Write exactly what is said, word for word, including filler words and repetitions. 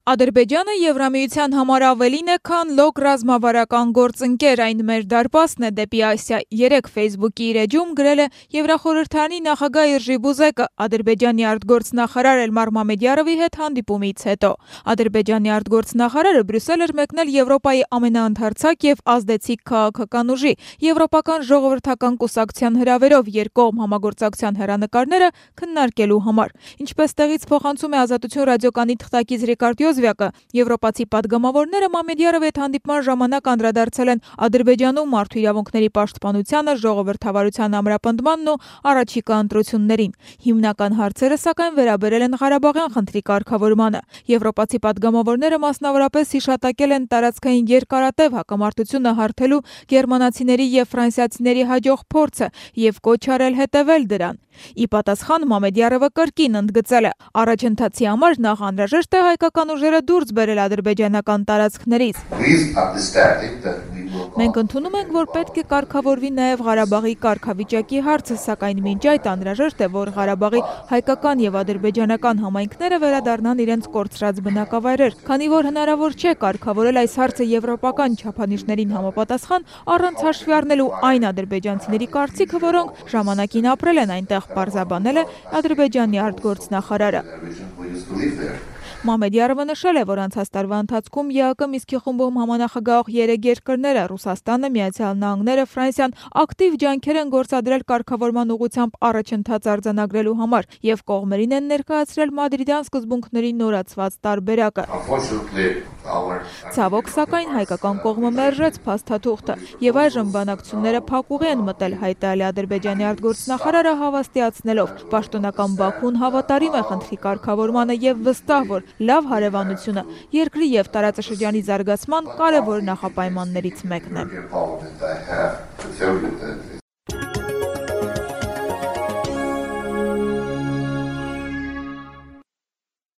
Ադրբեջանը Եվրամիության համար ավելին է, քան լոկ ռազմավարական գործընկեր, այն մեր դարպասն է դեպի Ասիա։ Երեկ Facebook-ի իր էջում գրել է Եվրախորհրդարանի նախագահ Իռժի Բուզեկը Ադրբեջանի արտգործնախարար Էլմար Մամեդյարովի հետ հանդիպումից հետո։ Ադրբեջանի արտգործնախարարը Բրյուսել էր մեկնել Եվրոպայի ամենաընդարձակ եւ ազդեցիկ քաղաքական ուժի Եվրոպական ժողովրդական կուսակցության հրավերով երկկողմ համագործակցության հեռանկարները քննարկելու համար։ Ինչպես տեղից փոխանցում է Ազատություն ռադիոկայանի թղթակից Ռիկարդ Յոզվյակը, եվրոպացի պատգամավորները Մամեդյարովի հետ հանդիպման ժամանակ անդրադարձել են Ադրբեջանում մարդու իրավունքների պաշտպանությանը, ժողովրդավարության ամրապնդմանն ու առաջիկա ընտրություններին։ Հիմնական հարցերը, սակայն, վերաբերել են Ղարաբաղյան խնդրի կարգավորմանը։ Եվրոպացի պատգամավորները մասնավորապես հիշատակել են տարածքային երկարատև հակամարտությունը հարթելու գերմանացիների եւ ֆրանսիացիների հաջող փորձը եւ կոչ արել հետեւել դրան։ Ի պատասխան Մամեդյարովը կրկին ընդգծել է. առաջընթացի համար նախ անհրաժեշտ է հայկական ուժերը դուրս բերել ադրբեջանական տարածքներից։ Մենք ընդունում ենք, որ պետք է կարգավորվի նաև Ղարաբաղի կարգավիճակի հարցը, սակայն մինչ այդ անհրաժեշտ է, որ Ղարաբաղի հայկական եւ ադրբեջանական համայնքները վերադառնան իրենց կորցրած բնակավայրեր, քանի որ հնարավոր չէ կարգավորել այս հարցը եվրոպական չափանիշներին համապատասխան առանց հաշվի առնելու այն ադրբեջանցիների կարծիքը, որոնք ժամանակին ապրել են այնտեղ, պարզաբանել է Ադրբեջանի արտգործնախարարը։ Մամեդյարովը նշել է, որ անցած տարվա ընթացքում ԵԱԿ Մինսկի խումբում համանախագահող երեք երկրները՝ Ռուսաստանը, Միացյալ Նահանգները, Ֆրանսիան ակտիվ ջանքեր են գործադրել կարգավորման ուղղությամբ առաջընթաց արձանագրելու համար եւ կողմերին են ներկայացրել մադրիդյան սկզբունքների նորացված տարբերակը։ Ցավոք, սակայն հայկական կողմը մերժեց փաստաթուղթը եւ այժմ բանակցությունները փակուղի են մտել, հայտարարել Ադրբեջանի արտգործնախարարը հավաստիացնելով. պաշտոնական Բաքուն հավատարիմ է խնդրի կարգավորմանը եւ վստահ, որ լավ հարևանությունը երկրի եւ տարածաշրջանի զարգացման կարևոր նախապայմաններից մեկն է։